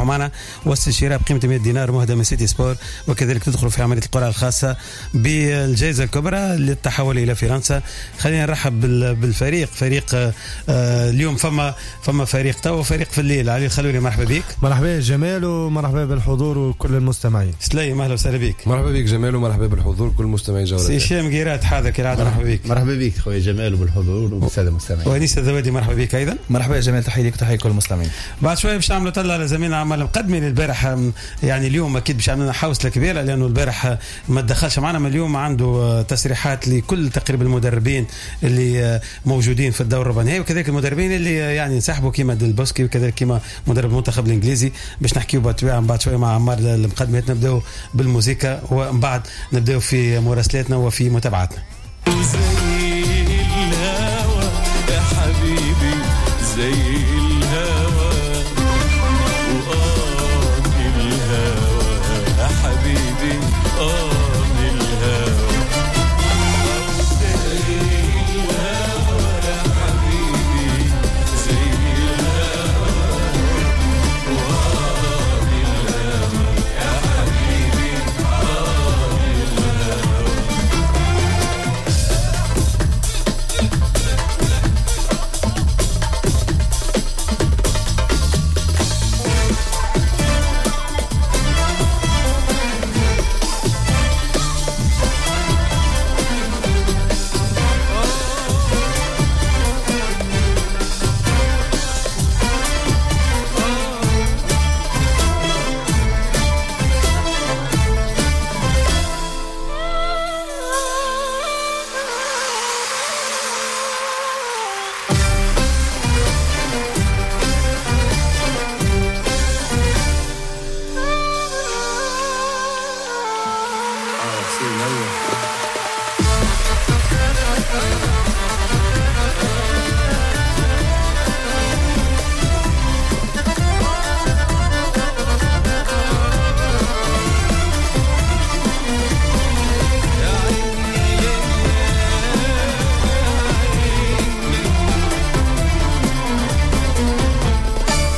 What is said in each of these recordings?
معنا. والشراء بقيمة 100 دينار مهدى من سيتي سبور، وكذلك تدخلوا في عملية القرعة الخاصة بالجائزة الكبرى للتحول الى فرنسا. خلينا نرحب بالفريق، فريق اليوم فما فريق تو وفريق في الليل. علي الخلولي مرحبا بك. مرحبا جمال ومرحبا بالحضور وكل المستمعين. سليم اهلا وسهلا بك. مرحبا بك جمال ومرحبا بالحضور كل المستمعين جولة. سي هشام قيرات حاضر كالعادة، مرحبا بك. مرحبا بك خويا جمال وبالحضور وبالساده المستمعين. وانيس الذوادي مرحبا بك ايضا. مرحبا يا جمال، تحية لك وتحية لكل المستمعين. بعد شوية باش نعملوا طلع على زميلنا عمار المقدمي البارح، يعني اليوم اكيد باش عملنا حوصله كبيرة لانه البارح ما تدخلش معنا، من اليوم عنده تصريحات لكل تقريبا المدربين اللي موجودين في الدور الربع النهائي، وكذلك المدربين اللي يعني انسحبوا كيما ديلبوسكي وكذلك كيما مدرب المنتخب الانجليزي. باش نحكيو بالطبيعة بعد شوية مع عمار المقدمي. نبداو بالموسيقى ومن بعد نبداو في مراسلاتنا وفي متابعاتنا. زي الهوى يا حبيبي، زي الهوى وآه الهوى يا حبيبي، آه الهوى، زي الهوى يا حبيبي، زي الهوى وآه الهوى يا حبيبي، آه الهوى.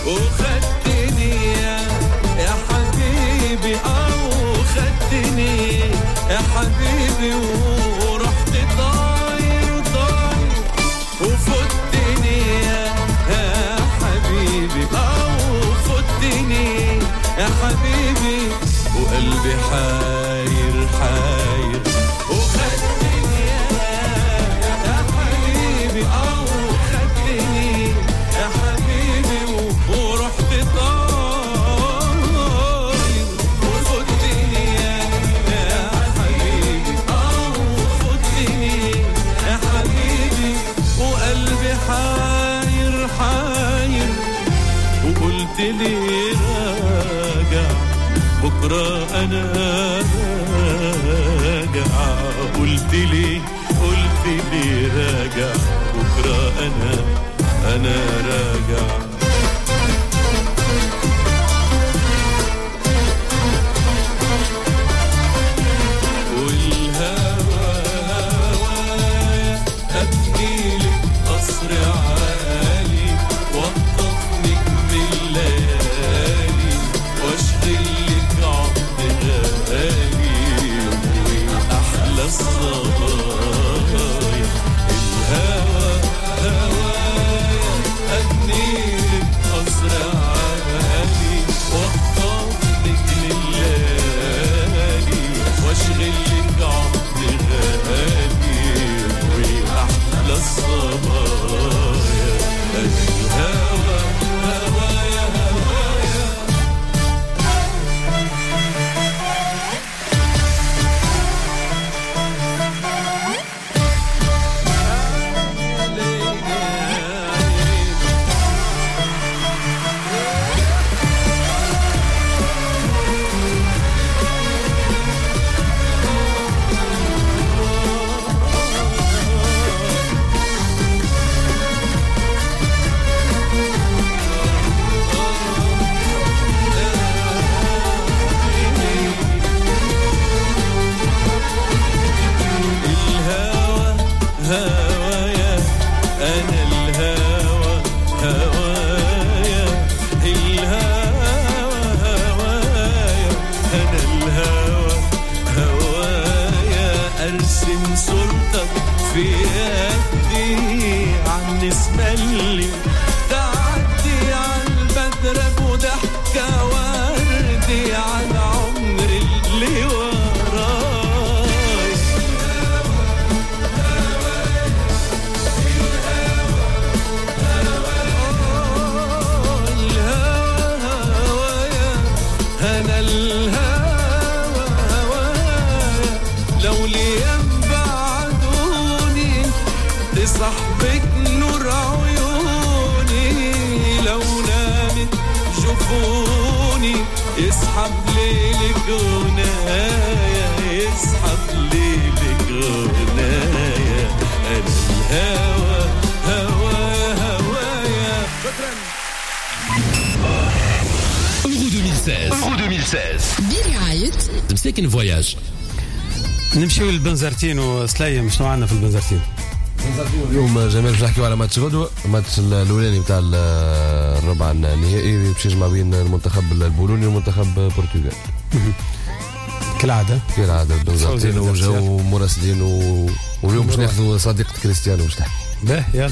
وخدتني يا حبيبي، أو خدتني يا حبيبي ورحت طاير طاير، وفتني يا حبيبي، أو فتني يا حبيبي، وقلبي حاير حاير. وخدتني يا حبيبي، أو خدتني يا حبيبي ورحت طاير، وفتني يا حبيبي، أو فتني يا حبيبي، وقلبي حاير حاير. وقلت لي راجع بكرة أنا راجع، قلت لي قلت لي راجع بكرة أنا راجع. والهوى هوايا أبني لك قصر عالي، وأخطف نجم الليالي، وأشغل لك عقد غالي، وأحلى الصبايا. الهوى هوايا أبني في يدي عالنسمة اللي تعدي عالبدر ابو ضحكة وردي عالعمر اللي وراي. الهوى هوايا أنا الهوى هوايا لو ليام بعدوني تصاحبك نور عيوني لو نامت جفوني يسحب ليلك غنايا يسحب ليلك غنايا أنا الهوى هوى هوايا. شكرا. Euro 2016. Euro 2016 برعاية مساكن Voyages. نمشيو للبنزرتين وسليم، شنو عندنا في البنزرتين؟ اليوم جمال باش نحكيو على ماتش غدوه، الماتش الاولاني نتاع الربع النهائي باش يجمع بين المنتخب البولوني والمنتخب البرتغال. كالعادة كالعادة البنزرتين وجاو مراسلين واليوم باش ناخذوا صديقه كريستيانو باش تحكي. باه يلا.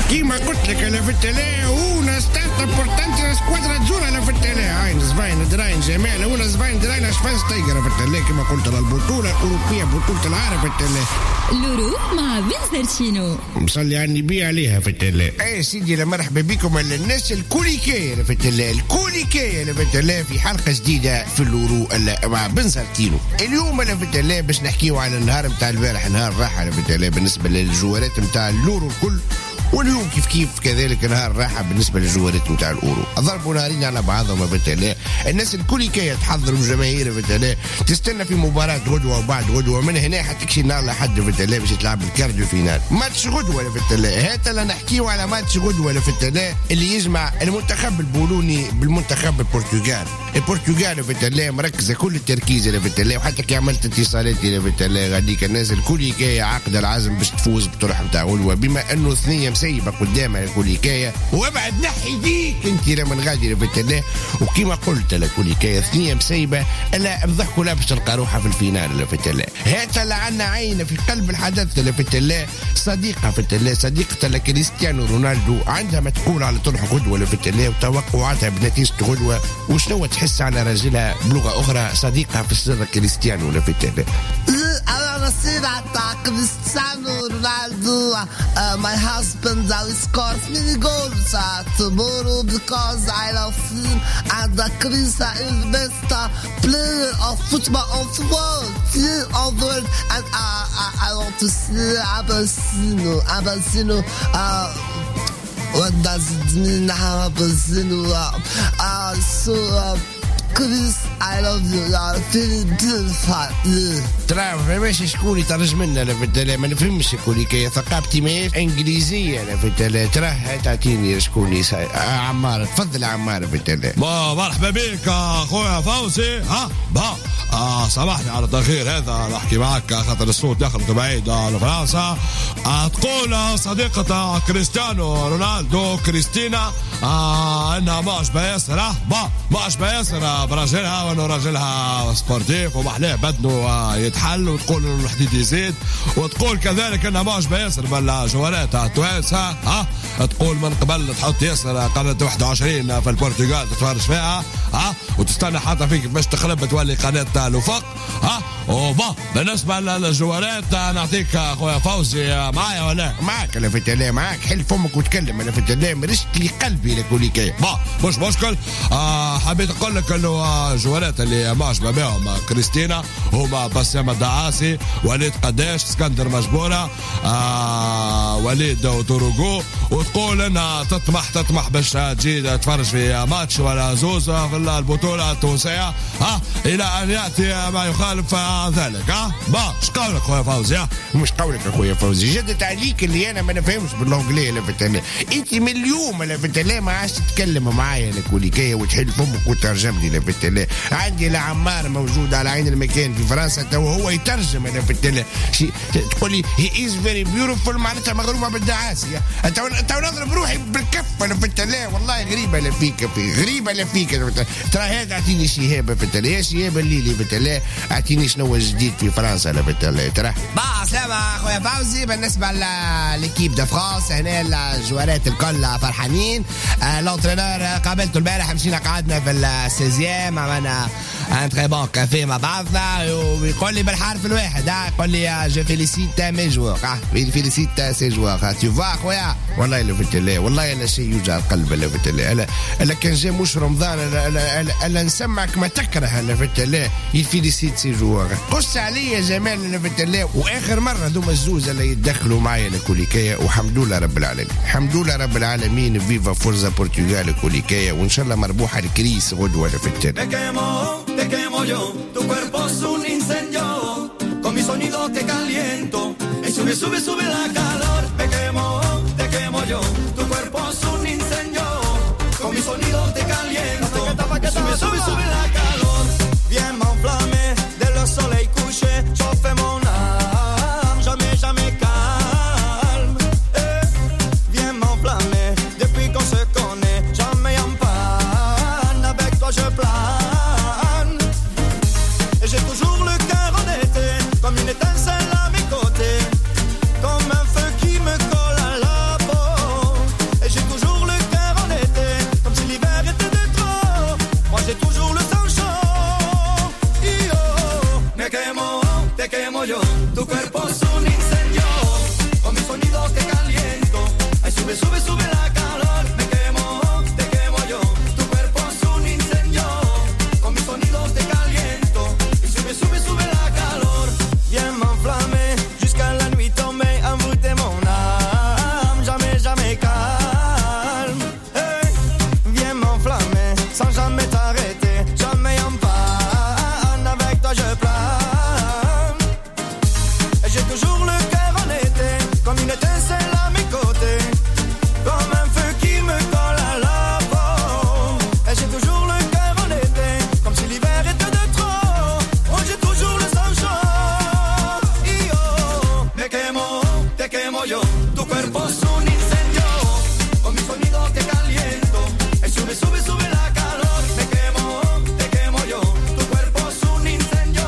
كيما قلت لك انا في التلا una stata importante la squadra azzurra انا في التلا عين زباين دراين جمال una زباين دراين شفاينشتايجر في التلا كما قلت البطولة الاوروبية بطوله العالم في التلا l'Euro مع بنزرتينو مصلي على النبي عليها في التلا. اي سيدي لا مرحبا بكم الناس الكوليكيه في التلا الكوليكيه في التلا في حلقة جديدة في l'Euro مع بنزرتينو. اليوم انا في التلا باش نحكيو على النهار نتاع البارح، نهار راحة في التلا بالنسبة للجوارات نتاع l'Euro الكل، واليوم كيف كيف كذلك نهار راحة بالنسبة للجوارات نتاع الاورو. ضربوا نهارين على بعضهم بالتالي الناس الكل كي تحضر الجماهير بالتالي تستنى في مباراة غدوه وبعد غدوه، من هنا حتكشي نهار لحد بالتالي باش تلعب ال quart de finale. ماتش غدوه بالتالي هات لا نحكيو على ماتش غدوه بالتالي اللي يجمع المنتخب البولوني بالمنتخب البرتغال. البرتغال بالتالي مركزه كل التركيز بالتالي، وحتى كي عملت اتصالات بالتالي غاديك الناس الكل كي عقد العزم باش تفوز بطرح نتاع غدوه، بما انه ثنيه مسيبه قدامها الكوليكايه وابعد نحي ديك انت لمن غادي بالتالي. وكما قلت الكوليكايه ثنيه مسيبه الا بضحكوا لا باش تلقى روحها في ال finale في التلا. هات لعنا عينه في قلب الحدث في التلا، صديقه في التلا، صديقه كريستيانو رونالدو عندها ما تقول على طرح غدوه في التلا وتوقعاتها بنتيجة غدوه وشنو تحس على رجلها بلغه اخرى صديقها في السر كريستيانو في التلا. Cristiano Ronaldo, my husband, I scores many goals tomorrow because I love him, and Chris is the best player of football of the world, of the world, and I want to see Abasino. What does it mean, Abasino? So. Chris, I love you. You are very beautiful. ترى فماش شكون يترجم لنا في التلا، ما نفهمش كوليكاية ثقافتي ماهيش انجليزية في التلا. ترى تعطيني شكون عمار، تفضل عمار في التلا. مرحبا بك اخويا فوزي. ها با سامحني على التاخير هذا، نحكي معك خاطر الصوت دخل بعيد لفرنسا. تقول صديقة كريستيانو رونالدو كريستينا انها معجبه ياسر، معجبه ياسر براجلها وانه راجلها sportif ومحلاه بدنه يتحل، وتقول انه الحديد يزيد، وتقول كذلك انها معجبه ياسر بالجوارات التوانسة. ها تقول من قبل تحط ياسر قناة 21 في البرتغال تتفرج فيها، ها وتستنى حتى فيك باش تخرب تولي قناة الوفاق. ها وبا بالنسبة للجوارات نعطيك اخويا فوزي معايا ولا معاك؟ انا في التلا معاك، حل فمك وتكلم. انا في التلا مرشت لي قلبي لكوليكاية. با مش مشكل. حبيت اقول لك انه الجوارات اللي معجبه بهم كريستينا هما بسام الدعاسي، وليد قداش، اسكندر مجبوره، وليد وتوروغو، وتقول انها تطمح باش تجي تتفرج في ماتش ولا زوز في البطولة التونسية، ها الى ان ياتي ما يخالف ذلك. ها با اش قولك خويا فوزي؟ مش قولك اخويا فوزي، جدت عليك اللي انا ما نفهمش بال anglais لا في التلا. انت من اليوم لا في التلا ما عادش تتكلم معايا لا كوليكايه وتحل فمك وترجم لي لا في التلا. عندي لا عمار موجود على عين المكان في فرنسا تو هو يترجم انا في التلا. تقول لي he is very beautiful معناتها مغرومه بالدعاسيه. تو نضرب روحي بالكف انا في التلا. والله غريبة لا فيك، في غريبة لا فيك. ترى هذا اعطيني شهابه في التلا، يا شهابه الليلي في التلا. اعطيني شنو الجديد في فرنسا لفت الله ترى. با سلامة خويا فوزي. بالنسبة l'équipe de France هنا الجوارات الكل فرحانين. l'entraîneur قابلته البارح، مشينا قعدنا في ال seizième، عملنا un très bon café مع بعضنا، ويقول لي بالحرف الواحد، يقول لي je félicite mes joueurs، félicite ses joueurs، tu vois خويا. والله لفت الله، والله لا شيء يوجع القلب لفت الله. الا كان جا مش رمضان الا نسمعك ما تكره لفت الله. il félicite ses joueurs. قص عليا جمال لفت الله. واخر مرة ذوما الزوز اللي يتدخلوا معايا لكوليكايا، والحمد لله رب العالمين، الحمد لله رب العالمين. viva forza Portugal كوليكايا، وان شاء الله مربوحه الكريس غدوه لفت الله. Te quemo yo, tu cuerpo es un incendio, con mi sonido te caliento, y sube, sube, sube la calor. Me quemo, te quemo yo, tu cuerpo es un incendio, con mi sonido te caliento, y sube, sube, sube la calor. Viens m'enflammer, dès le soleil couché, chauffer mon âme, jamais, jamais calme. Eh, viens m'enflammer, depuis qu'on se connaît, jamais en panne, avec toi je plane. J'ai toujours le cœur en été, comme une étincelle à mes côtés, comme un feu qui me colle à la peau. Et j'ai toujours le cœur en été, comme si l'hiver était de trop. Moi j'ai toujours le sang chaud. Io me quemo, te quemo yo, tu cuerpo es un incendio, con mi sonido te caliento. Ay, sube, sube, sube la calor. Me quemo, te quemo yo, tu cuerpo es un incendio, con mi sonido te caliento. Sube, sube, sube la calor. Viens m'enflammer jusqu'à la nuit tombée, envoûter mon âme, jamais, jamais calme. Hey, viens m'enflammer sans jamais t'arrêter, jamais en panne, avec toi je plane. Et j'ai toujours le cœur en été, comme une étincelle à mes côtés, comme un feu qui me colle à la peau. Et j'ai toujours le cœur en été, comme si l'hiver était de trop. Moi j'ai toujours le sang chaud. Io me quemo, te quemo yo, tu cuerpo es un incendio, con mi sonido te caliento. Y sube, sube, sube la calor. Me quemo, te quemo yo, tu cuerpo es un incendio,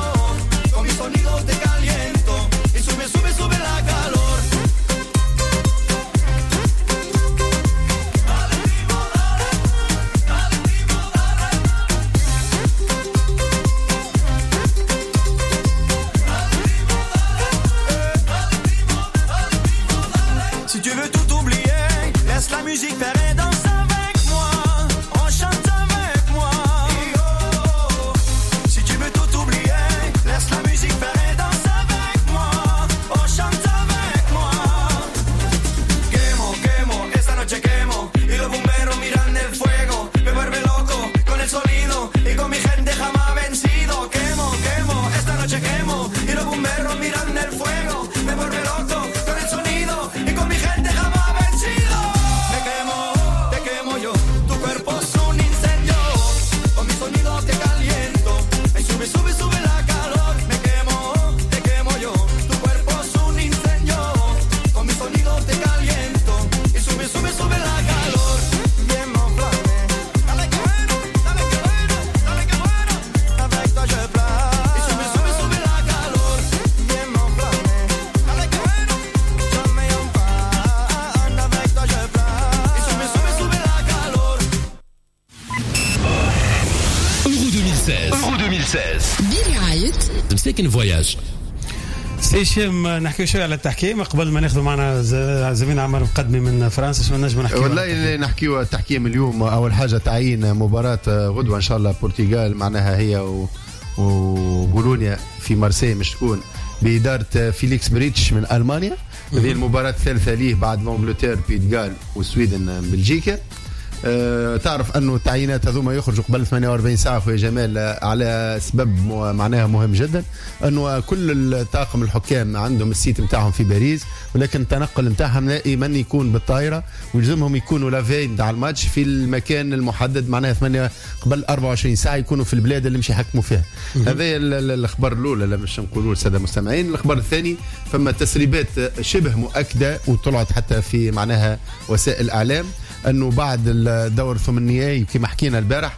con mi sonido te caliento. Y sube, sube, sube la calor. Si tu veux tout oublier, laisse la musique faire et danse avec moi. On chante avec moi. Si tu veux tout oublier, laisse la musique faire et danse avec moi. On chante avec moi. Quemo, quemo, esta noche quemo. Y los bomberos miran el fuego. Me vuelve loco con el sonido. Y con mi gente jamás vencido. Quemo, quemo, esta noche quemo. Y los bomberos miran el fuego. Me vuelve loco con el sonido. Y con mi gente jamás vencido. Me quemo, te quemo yo. Tu cuerpo es un incendio. Con mi sonido te caliento. Ay, sube, sube, sube la calor. Me quemo, te quemo yo. Tu cuerpo es un incendio. Con mi sonido te caliento. Y sube, sube, sube la calor. Viens m'enflammer. Dale que bueno, dale que bueno, dale que bueno. Avec toi je plane. Y sube, sube, sube la calor. Viens m'enflammer. Dale que bueno, jamais en panne. Avec toi je plane. Y sube, sube, sube la calor. Euro 2016. Euro 2016. برعاية مساكن Voyages. سي هشام، نحكيو شوية على التحكيم قبل ما ناخذ معنا زميلنا عمر مقدمي من فرنسا. شنو نجم نحكيو؟ والله نحكيو التحكيم اليوم. اول حاجة تعيين مباراة غدوه ان شاء الله البرتغال معناها هي وبولونيا في مارسي مش تكون بادارة فيليكس بريتش من المانيا. هذه المباراة الثالثة ليه بعد l'Angleterre Pays de Galles والسويدن بلجيكا. تعرف انه التعيينات هذوما يخرجوا قبل 48 ساعة خويا جمال، على سبب معناها مهم جدا، انه كل الطاقم الحكام عندهم ال site نتاعهم في باريس، ولكن التنقل نتاعهم دائما يكون بالطائرة، ويلزمهم يكونوا la veille نتاع الماتش في المكان المحدد، معناها 8 قبل 24 ساعة يكونوا في البلاد اللي مش يحكموا فيها. هذا الخبر الاولى اللي مش نقولوه للسادة المستمعين. الخبر الثاني فما تسريبات شبه مؤكدة وطلعت حتى في معناها وسائل الاعلام انه بعد الدور الثمن النهائي كما حكينا البارح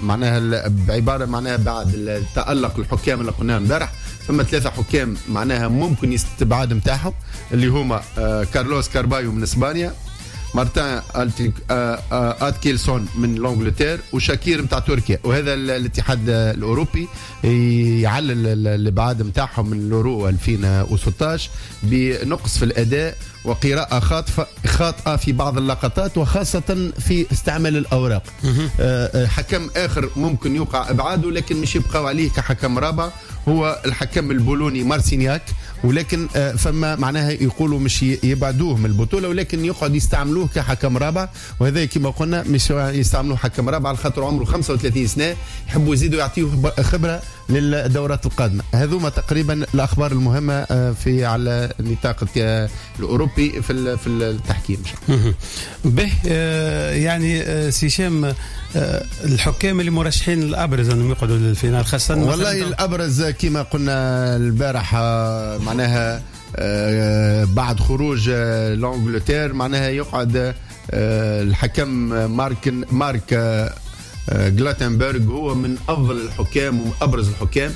معناها بعبارة معناها بعد التألق الحكام اللي قلناه امبارح، فما 3 حكام معناها ممكن يستبعد نتاعهم اللي هما كارلوس كاربايو من اسبانيا، مارتن اتكيلسون من l'Angleterre، وشاكير نتاع تركيا. وهذا الاتحاد الاوروبي يعلل الابعاد نتاعهم من اليورو 2016 بنقص في الاداء وقراءة خاطئة في بعض اللقطات، وخاصة في استعمال الأوراق. حكم آخر ممكن يوقع إبعاده لكن مش يبقى عليه كحكم رابع هو الحكم البولوني مارسينياك، ولكن فما معناها يقولوا مش يبعدوه من البطولة ولكن يقعد يستعملوه كحكم رابع. وهذا كما قلنا مش يستعملوه حكم رابع على خاطر عمره 35 سنة، يحبوا يزيدوا يعطيه خبرة للدورات القادمة. هذوما تقريبا الأخبار المهمة في على نطاق الأوروبي في التحكيم. به يعني سي هشام، الحكام اللي مرشحين الأبرز أنهم يقعدوا لل finale خاصة، والله الأبرز كما قلنا البارح معناها بعد خروج l'Angleterre معناها يقعد الحكم مارك جلاتنبرغ، هو من أفضل الحكام وأبرز الحكام.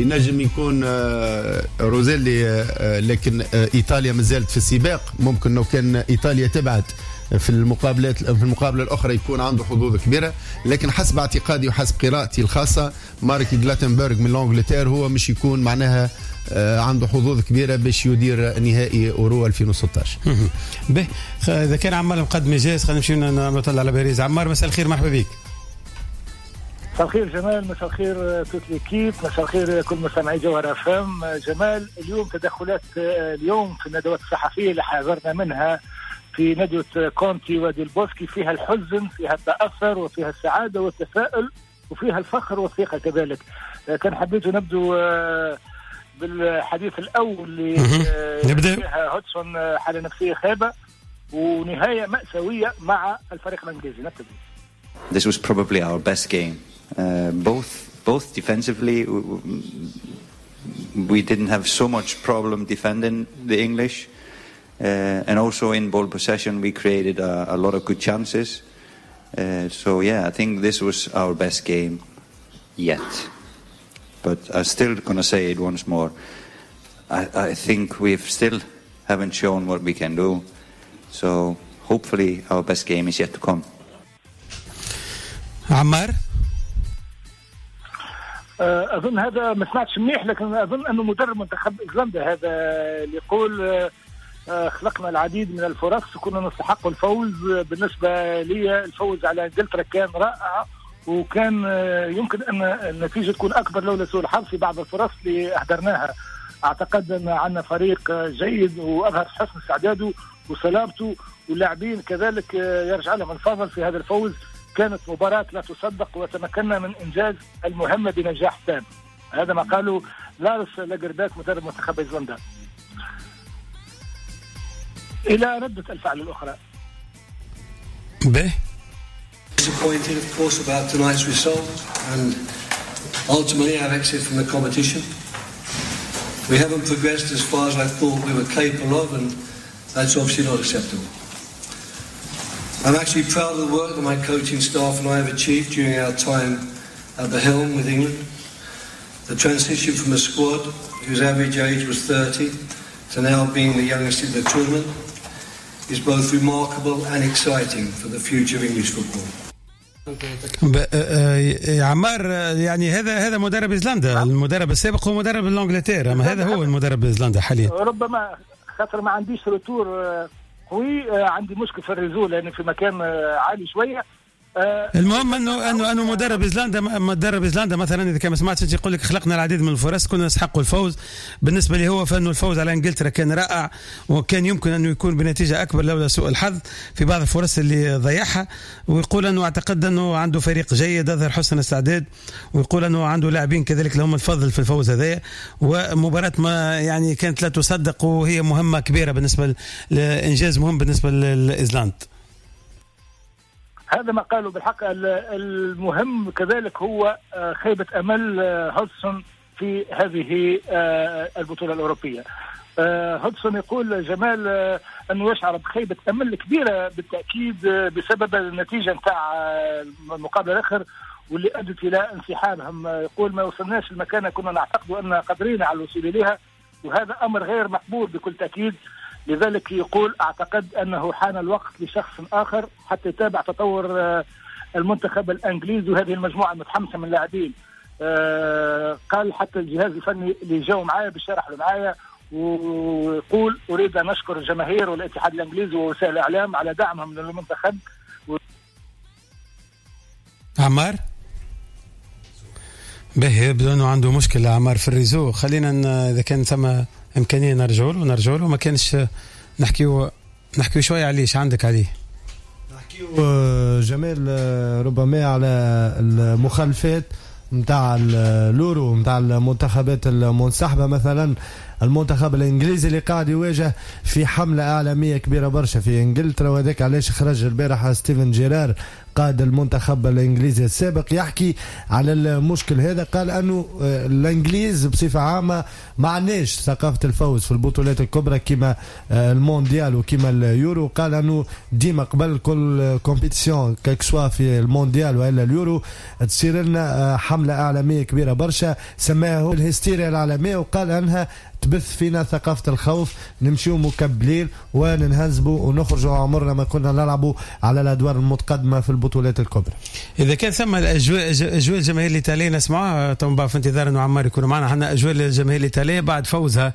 ينجم يكون روزيلي، لكن إيطاليا مازالت في السباق، ممكن لو كان إيطاليا تبعد في المقابلات في المقابلة الأخرى يكون عنده حظوظ كبيرة. لكن حسب اعتقادي وحسب قراءتي الخاصة مارك جلاتنبرغ من l'Angleterre هو مش يكون معناها عنده حظوظ كبيرة باش يدير نهائي أورو 2016. به إذا كان عمار مقدم جاهز خلينا نمشي نطلع على باريس. عمار مساء الخير، مرحبا بك. مساء الخير جمال، مساء الخير toute l'équipe، مساء الخير كل مستمعي جوهر اف ام. جمال، اليوم تدخلات اليوم في الندوات الصحفية اللي حذرنا منها في ندوة كونتي وديل بوسكي فيها الحزن، فيها التأثر، وفيها السعادة والتفاؤل، وفيها الفخر والثقة كذلك. كان حبيت نبدو بالحديث الأول اللي فيها هودسون حالة نفسية خيبة ونهاية مأساوية مع الفريق الإنجليزي. نبتدي. This was probably our best game. Both defensively, we didn't have so much problem defending the English, and also in ball possession we created a lot of good chances. So yeah, I think this was our best game yet. But I'm still gonna say it once more. I think we've still haven't shown what we can do. So hopefully our best game is yet to come. عمار، أظن هذا ما سمعتش منيح، لكن أظن أنه مدرب منتخب إيرلندا هذا اللي يقول خلقنا العديد من الفرص وكنا نستحق الفوز. بالنسبة لي الفوز على إنجلترا كان رائع، وكان يمكن أن النتيجة تكون أكبر لولا سوء الحظ في بعض الفرص اللي أهدرناها. أعتقد أن عندنا فريق جيد وأظهر حسن استعداده وصلابته، واللاعبين كذلك يرجع لهم الفضل في هذا الفوز. كانت مباراة لا تصدق وتمكنا من إنجاز المهمة بنجاح تام. هذا ما قاله لارس لاجرباك مدرب منتخب ايسلندا. إلى ردة الفعل الأخرى. به. Disappointed of course about tonight's result and ultimately our exit from the competition. We haven't progressed as far as I thought we were capable of, and that's obviously not acceptable. I'm actually proud of the work that my coaching staff and I have achieved during our time at the helm with England. The transition from a squad whose average age was 30 to now being the youngest in the tournament is both remarkable and exciting for the future of English football. عمار، يعني هذا مدرب ايسلندا، المدرب السابق هو مدرب الانجلترا، اما هذا هو المدرب ايسلندا حاليا. ربما خاطر ما عنديش retour قوي، عندي مشكل في ال réseau لان في مكان عالي شوية. المهم انه مدرب ايسلندا مثلا اذا كان ما سمعتش يقول لك خلقنا العديد من الفرص كنا نستحق الفوز. بالنسبة لي هو فانه الفوز على انجلترا كان رائع، وكان يمكن انه يكون بنتيجة اكبر لولا سوء الحظ في بعض الفرص اللي ضيعها. ويقول انه اعتقد انه عنده فريق جيد اظهر حسن استعداد، ويقول انه عنده لاعبين كذلك لهم الفضل في الفوز هذا. ومباراة ما يعني كانت لا تصدق، وهي مهمة كبيرة بالنسبة لانجاز مهم بالنسبة للايسلند. هذا ما قالوا بالحق. المهم كذلك هو خيبة أمل هودسون في هذه البطولة الأوروبية. هودسون يقول جمال أنه يشعر بخيبة أمل كبيرة بالتأكيد بسبب النتيجة نتاع المقابلة الآخر واللي أدت إلى انسحابهم. يقول ما وصلناش المكانة كنا نعتقد أن قادرين على الوصول إليها، وهذا أمر غير مقبول بكل تأكيد. لذلك يقول أعتقد أنه حان الوقت لشخص آخر حتى يتابع تطور المنتخب الإنجليزي وهذه المجموعة المتحمسة من اللاعبين. قال حتى الجهاز الفني اللي جاوا معايا بالشرح اللي معايا، ويقول أريد أن أشكر الجماهير والاتحاد الإنجليزي ووسائل الإعلام على دعمهم للمنتخب. عمار به يبدو أنه عنده مشكلة عمار في ال réseau. خلينا إذا كان ثم إمكانية نرجعوا له، ما كانش نحكيو شوية عليه. ايش عندك عليه؟ نحكيو جمال ربما على المخالفات نتاع اليورو نتاع المنتخبات المنسحبة. مثلا المنتخب الانجليزي اللي قاعد يواجه في حملة اعلامية كبيرة برشا في انجلترا، وهذاك علاش خرج البارح ستيفن جيرار قائد المنتخب الانجليزي السابق يحكي على المشكل هذا. قال انه الانجليز بصفة عامة ما عندناش ثقافة الفوز في البطولات الكبرى كما المونديال وكما اليورو. قال انه ديما قبل كل compétition que ce soit في المونديال والا اليورو تصير لنا حملة اعلامية كبيرة برشا سماها الهستيريا العالمية، وقال انها تبث فينا ثقافة الخوف، نمشيو مكبلين وننهزبوا ونخرجوا عمرنا ما كنا نلعبوا على الأدوار المتقدمة في البطولات الكبرى. إذا كان ثم الأجواء أجواء الجماهير الإيطالية نسمعها طبعا في انتظار أنه عمار يكون معنا. عندنا أجواء الجماهير الإيطالية بعد فوزها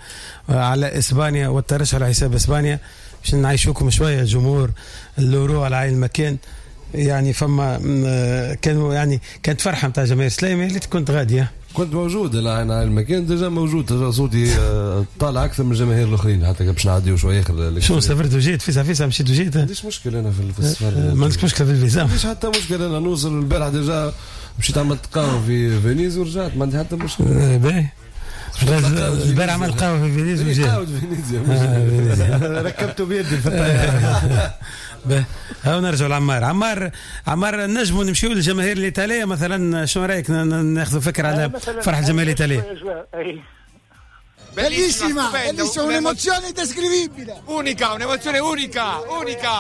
على إسبانيا والترشح على حساب إسبانيا، باش نعيشوكم شوية جمهور اللورو على عين المكان. يعني فما كانوا يعني كانت فرحة نتاع جماهير سليمة اللي كنت غادية. كنت موجود انا على المكان déjà موجود، صوتي طالع اكثر من الجماهير الاخرين حتى باش نعديو شوية اخر. شو سافرت وجيت فيسا مشيت وجيت؟ ما عنديش مشكل انا في السفر. ما عندك مشكلة في الفيزا؟ ما عنديش حتى مشكل، انا نوصل البارح déjà مشيت عملت قهوة في فينيز ورجعت، ما عندي حتى مشكل. باهي البارح عمل قهوة في فينيز وجيت. قهوة في فينيزيا ركبته بيدي في الطيارة. هاو نرجعوا لعمار. عمار نجموا نمشيو للجماهير الايطالية مثلا، شنو رايك ناخذ فكرة على فرح الجماهير الايطالية؟ Bellissima, bellissima, un'emozione indescrivibile. Unica, un'emozione unica, unica.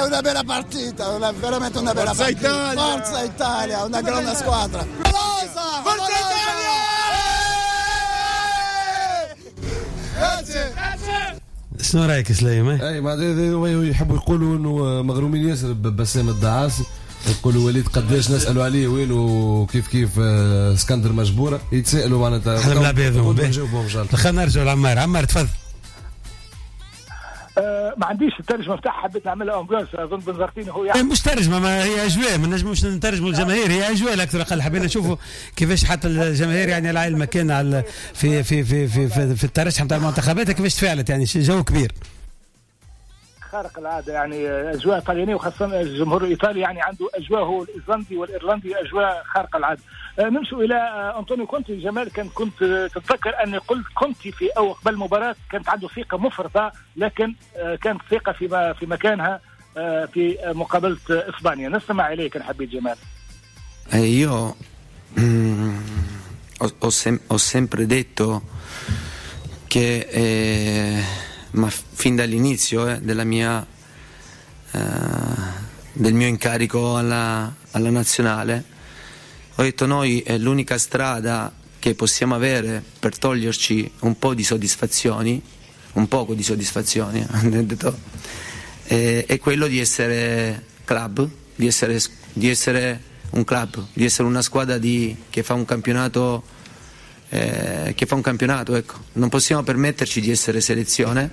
È una bella partita, veramente una bella Forza partita. Italia. Forza Italia, una grande squadra. Forza, Forza Italia! Grazie. شنو رايك سليم؟ اي معناتها يحبوا يقولوا انه مغرومين ياسر ببسام الدعاسي، يقولوا وليد قداش نسالوا عليه وين وكيف كيف اسكندر مجبوره يتسالوا معناتها. احنا بنلعب هذوما. خلينا نرجعوا لعمار. عمار تفضل. ما عنديش الترجمة نتاعها، حبيت نعملها ambiance. اظن بنزرتيني هو يعني مش ترجمه، ما هي اجواء، ما نجموش نترجموا الجماهير، هي اجواء اكثر اقل. حبينا نشوفوا كيفاش حتى الجماهير يعني على المكان على في في في في في, في الترشح نتاع المنتخبات كيفاش تفاعلت، يعني جو كبير خارق العادة، يعني اجواء طليانيه وخاصة الجمهور الايطالي يعني عنده اجواء هو الايسلندي والايرلندي اجواء خارقة العادة. نمشوا الى انطونيو كونتي. جمال كنت تتذكر اني قلت كونتي في او قبل المباراة كانت عنده ثقة مفرطة، لكن كانت ثقة في مكانها في مقابله اسبانيا. نستمع اليك ان حبيت جمال. Io ho sempre detto che ma fin dall'inizio della mia del mio incarico alla nazionale ho detto noi è l'unica strada che possiamo avere per toglierci un po' di soddisfazioni, un poco di soddisfazioni ho detto, è quello di essere club, di essere un club, di essere una squadra che fa un campionato, ecco. Non possiamo permetterci di essere selezione.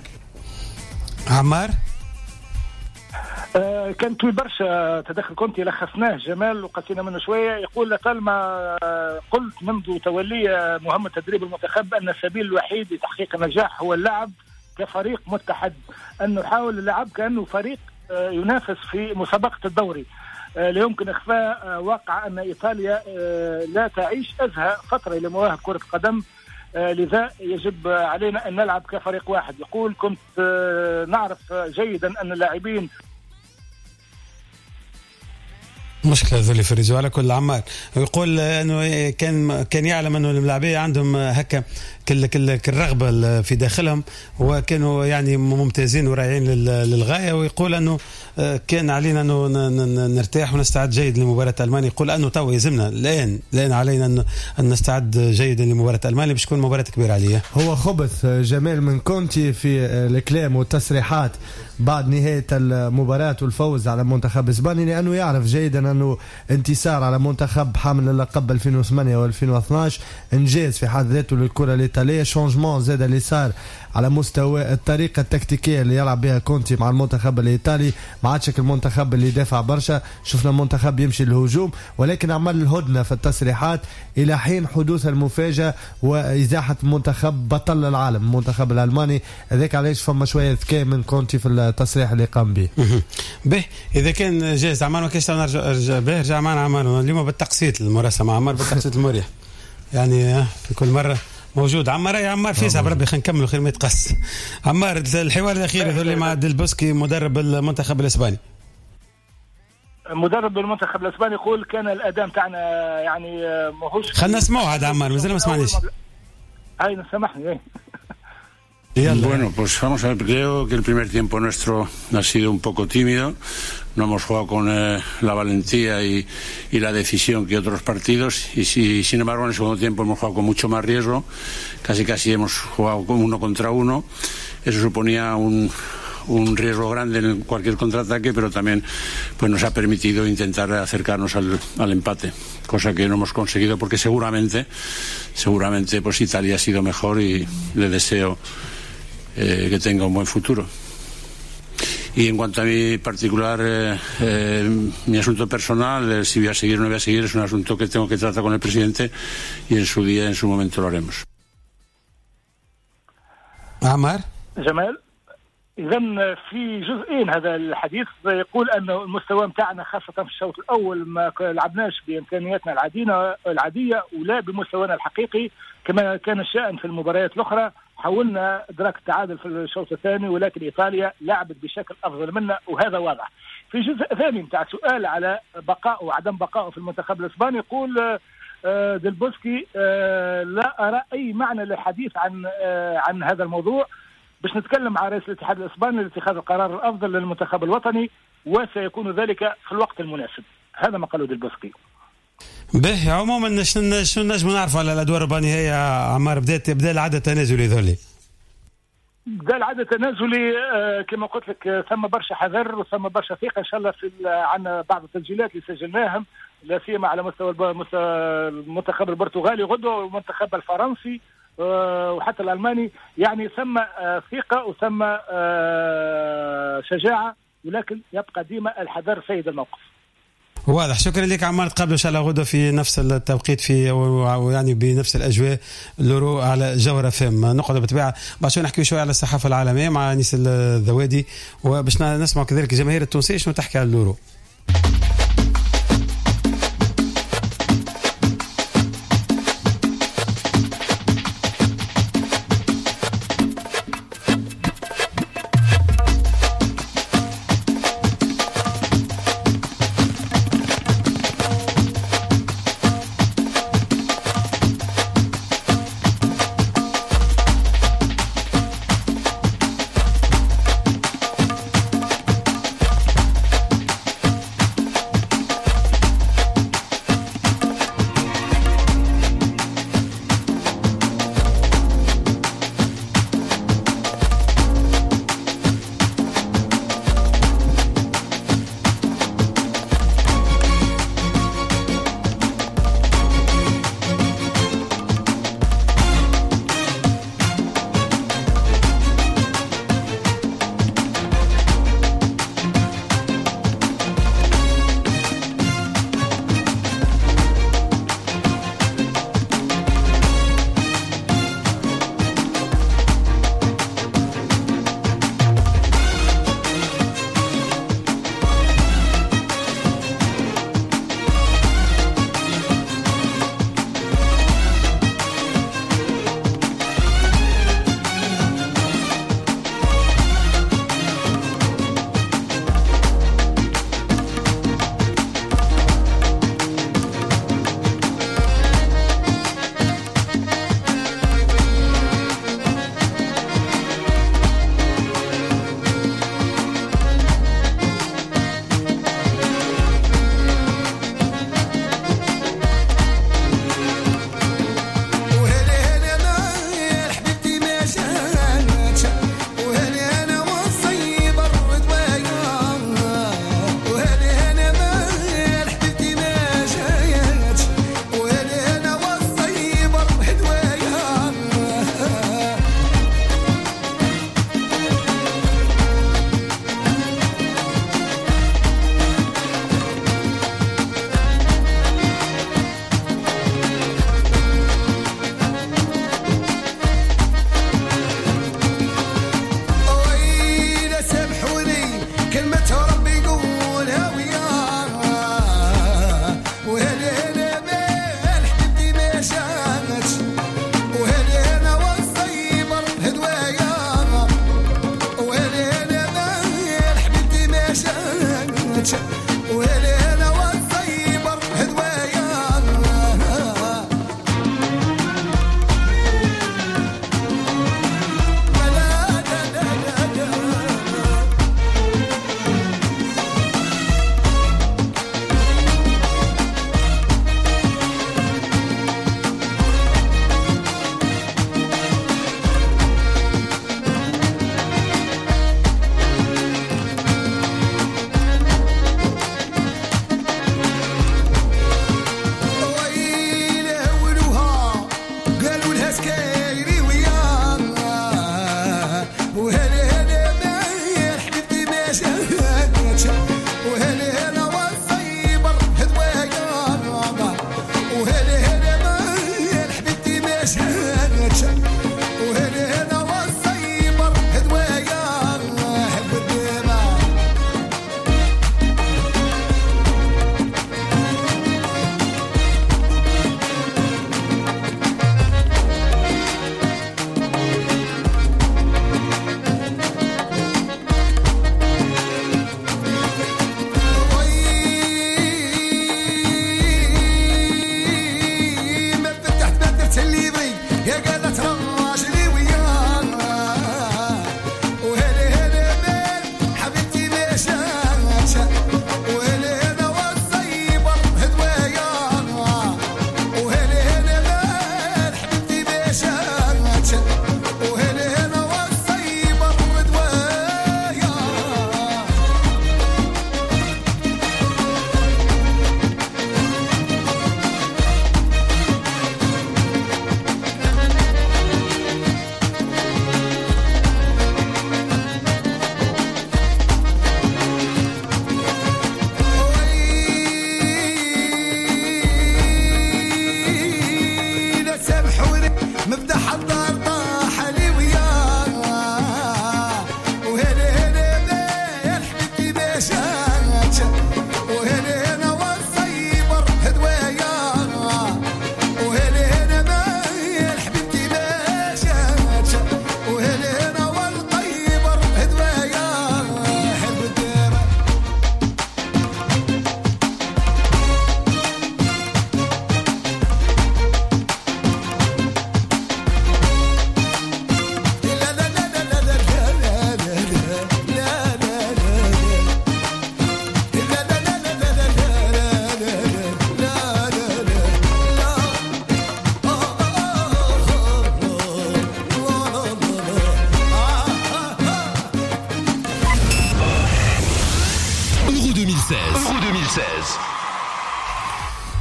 عمار كان طويل برشا تدخل كونتي، لخصناه جمال وقسينا منه شوية. يقول لطالما قلت منذ تولي مهمة تدريب المنتخب ان السبيل الوحيد لتحقيق النجاح هو اللعب كفريق متحد، ان نحاول اللعب كانه فريق ينافس في مسابقة الدوري. لا يمكن إخفاء واقع أن إيطاليا لا تعيش أزهى فترة لمواهب كرة القدم، لذا يجب علينا أن نلعب كفريق واحد. يقول كنت نعرف جيدا أن اللاعبين. مشكلة هذول في ال réseau. على كل عمار يقول انه كان يعلم انه الملاعبيه عندهم هكا كل الرغبة في داخلهم، وكانوا يعني ممتازين ورائعين للغاية، ويقول انه كان علينا انه نرتاح ونستعد جيد لمباراة المانيا. يقول انه تو يلزمنا الان علينا ان نستعد جيدا لمباراة المانيا باش تكون مباراة كبيرة عليا. هو خبث جمال من كونتي في الكلام والتصريحات بعد نهاية المباراة والفوز على منتخب اسباني، لانه يعرف جيدا انه انتصار على منتخب حامل اللقب 2008 و2012 انجاز في حد ذاته للكرة الايطالية. changement زاد اللي صار على مستوى الطريقة التكتيكيه اللي يلعب بها كونتي مع المنتخب الايطالي، ما عادش المنتخب اللي دافع برشا، شفنا المنتخب يمشي للهجوم، ولكن عمل الهدنة في التصريحات الى حين حدوث المفاجاة وازاحه منتخب بطل العالم المنتخب الالماني. هذاك علاش فما شوية ذكاء من كونتي في التصريح اللي قام به. به اذا كان جاهز عمار ما كاينش نرجع به، رجع معنا عمار اليوم بالتقسيط المراسله مع عمار بالتقسيط المريح، يعني في كل مرة موجود عمار. يا عمار فيسع بربي خلينا نكملوا خير ما يتقص. عمار الحوار الاخير هذول مع ديل بوسكي مدرب المنتخب الاسباني. مدرب المنتخب الاسباني يقول كان الاداء تاعنا يعني ماهوش، خلينا نسمعوا هذا عمار مازال ما سمعناش. هاي سامحني. Bueno, pues vamos a ver, creo que el primer tiempo nuestro ha sido un poco tímido, no hemos jugado con la valentía y la decisión que otros partidos, y sin embargo en el segundo tiempo hemos jugado con mucho más riesgo, casi hemos jugado con uno contra uno, eso suponía un riesgo grande en cualquier contraataque, pero también pues nos ha permitido intentar acercarnos al empate, cosa que no hemos conseguido porque seguramente pues Italia ha sido mejor y le deseo que tenga un buen futuro. Y en cuanto a mi particular, mi asunto personal, si voy a seguir o no voy a seguir, es un asunto que tengo que tratar con el presidente y en su día, en su momento lo haremos. عمار جمال، إذا في جزئين هذا الحديث. يقول أن المستوى متاعنا خاصة في الشوط الأول ما لعبناش بإمكانياتنا العادية ولا بمستوانا الحقيقي كما كان الشأن في المباريات الأخرى. حاولنا إدراك التعادل في الشوط الثاني ولكن إيطاليا لعبت بشكل أفضل منا وهذا واضح. في جزء ثاني متاع سؤال على بقائه وعدم بقائه في المنتخب الإسباني، يقول ديل بوسكي لا أرى أي معنى للحديث عن هذا الموضوع، باش نتكلم مع رئيس الاتحاد الاسباني لاتخاذ القرار الافضل للمنتخب الوطني وسيكون ذلك في الوقت المناسب. هذا ما قاله ديل بوسكي. به عموما شنو نجم نعرفوا على الادوار الربع عمار؟ بدا العدد التنازلي ذولي، بدا العدد التنازلي كما قلت لك، ثم برشا حذر وثم برشا ثقة ان شاء الله في عندنا بعض التسجيلات اللي سجلناهم، لا سيما على مستوى المنتخب البرتغالي غدوه والمنتخب الفرنسي وحتى الألماني. يعني ثم ثقة وثم شجاعة، ولكن يبقى ديما الحذر سيد الموقف. واضح. شكرا لك عمار، تقابلوا ان شاء الله غدا في نفس التوقيت في يعني بنفس الاجواء l'Euro على جوهرة فم. نقعد بالطبيعة بعد شوي نحكي شوي على الصحافة العالمية مع انيس الذوادي، وباش نسمع كذلك الجماهير التونسية شنو تحكي على l'Euro.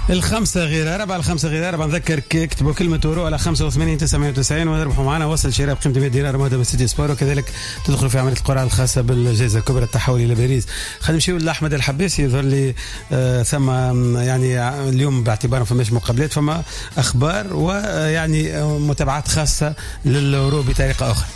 4:45، 4:45. نذكر اكتبوا كلمة اورو على 85 990 وتربحوا معنا وصل شراء بقيمة 100 دينار مهدى من سيتي سبور، وكذلك تدخلوا في عملية القرعة الخاصة بالجائزة الكبرى التحول إلى باريس. خلينا نمشيو لأحمد الحباسي، يظهر لي ثم يعني اليوم باعتبار ما فماش مقابلات، فما أخبار ويعني متابعات خاصة للأورو بطريقة أخرى.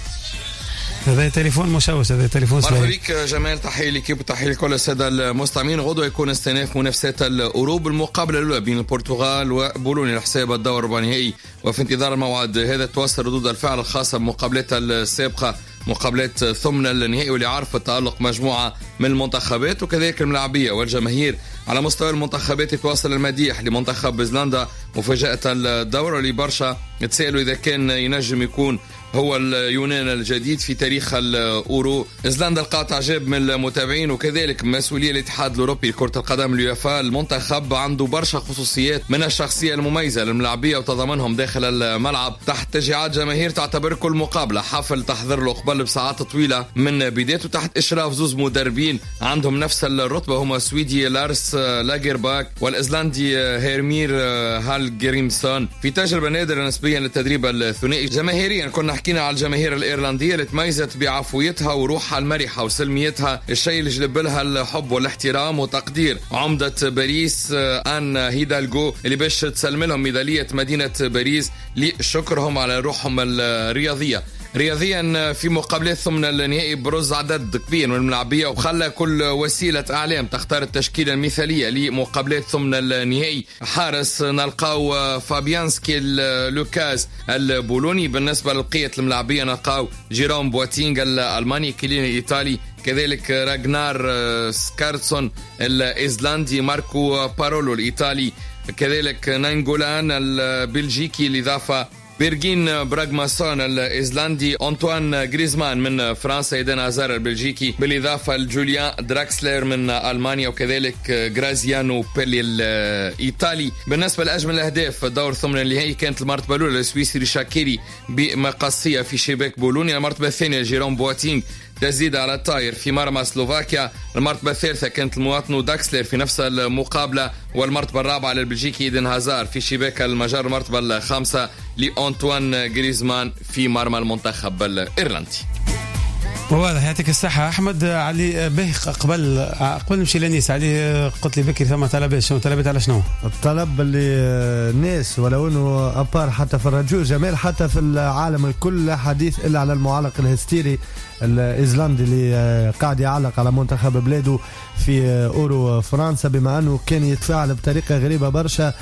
هذا تليفون مشوش، هذا تليفون سليم. مرحبا بك جمال، تحية لك وتحية لكل السادة المستمعين. غدوة يكون استئناف منافسات الاورو بالمقابلة الاولى بين البرتغال وبولونيا لحساب الدور الربع النهائي، وفي انتظار الموعد هذا تواصل ردود الفعل الخاصة بالمقابلات السابقة، مقابلات ثمن النهائي واللي عرفت تألق مجموعة من المنتخبات وكذلك الملاعبية والجماهير. على مستوى المنتخبات يتواصل المديح لمنتخب ايزلندا مفاجأة الدور، اللي برشا تسألوا إذا كان ينجم يكون هو اليونان الجديد في تاريخ الأورو. ايزلندا لقات اعجاب من المتابعين وكذلك مسؤولية الاتحاد الأوروبي لكرة القدم اليوفا. المنتخب عنده برشا خصوصيات من الشخصية المميزة للملاعبية وتضامنهم داخل الملعب تحت تشجيعات جماهير تعتبر كل مقابلة حفل تحضر له قبل بساعات طويلة من بدايته، تحت إشراف زوز مدربين عندهم نفس الرتبة، هما السويدي لارس لاجرباك والإيزلندي هيرمير هالجريمسون، في تجربة نادرة نسبيا للتدريب الثنائي. جماهيريا كنا حكينا على الجماهير الإيرلندية اللي تميزت بعفويتها وروحها المرحة وسلميتها، الشيء اللي جلب لها الحب والاحترام وتقدير عمدة باريس آن هيدالغو اللي باش تسلم لهم ميدالية مدينة باريس لشكرهم على روحهم الرياضية. رياضيا في مقابلات ثمن النهائي برز عدد كبير من الملاعبية وخلى كل وسيلة أعلام تختار التشكيلة المثالية لمقابلات ثمن النهائي. حارس نلقاو فابيانسكي لوكاز البولوني، بالنسبة لبقية الملاعبية نلقاو جيروم بواتينغ الألماني، كيليني الإيطالي، كذلك راغنار سكارتسون الإيزلاندي، ماركو بارولو الإيطالي، كذلك نانغولان البلجيكي، الإضافة بيرجين براغماسون الإيزلاندي، أنطوان غريزمان من فرنسا، إيدان هازار البلجيكي، بالإضافة لجوليان دراكسلر من ألمانيا، وكذلك غرازيانو بيلي الإيطالي. بالنسبة لأجمل الأهداف دور ثمن النهائي كانت المرتبة الأولى للسويسري شاكيري بمقصية في شباك بولونيا، المرتبة الثانية جيروم بواتينغ تزيد على الطاير في مرمى سلوفاكيا، المرتبة الثالثة كانت المواطن داكسلر في نفس المقابلة، والمرتبة الرابعة للبلجيكي إيدن هازار في شباك المجر، المرتبة الخامسة لأنطوان غريزمان في مرمى المنتخب الإيرلندي. واضح، يعطيك الصحة أحمد علي. به قبل نمشي لنيس، علي قلت لي بكري ثم طلبات، شنو طلبات على شنو؟ الطلب اللي الناس ولو انه à part حتى في الراديو جمال، حتى في العالم الكل حديث الا على المعلق الهستيري الايزلاندي اللي قاعد يعلق على منتخب بلاده في اورو فرنسا، بما انه كان يتفاعل بطريقة غريبة برشا،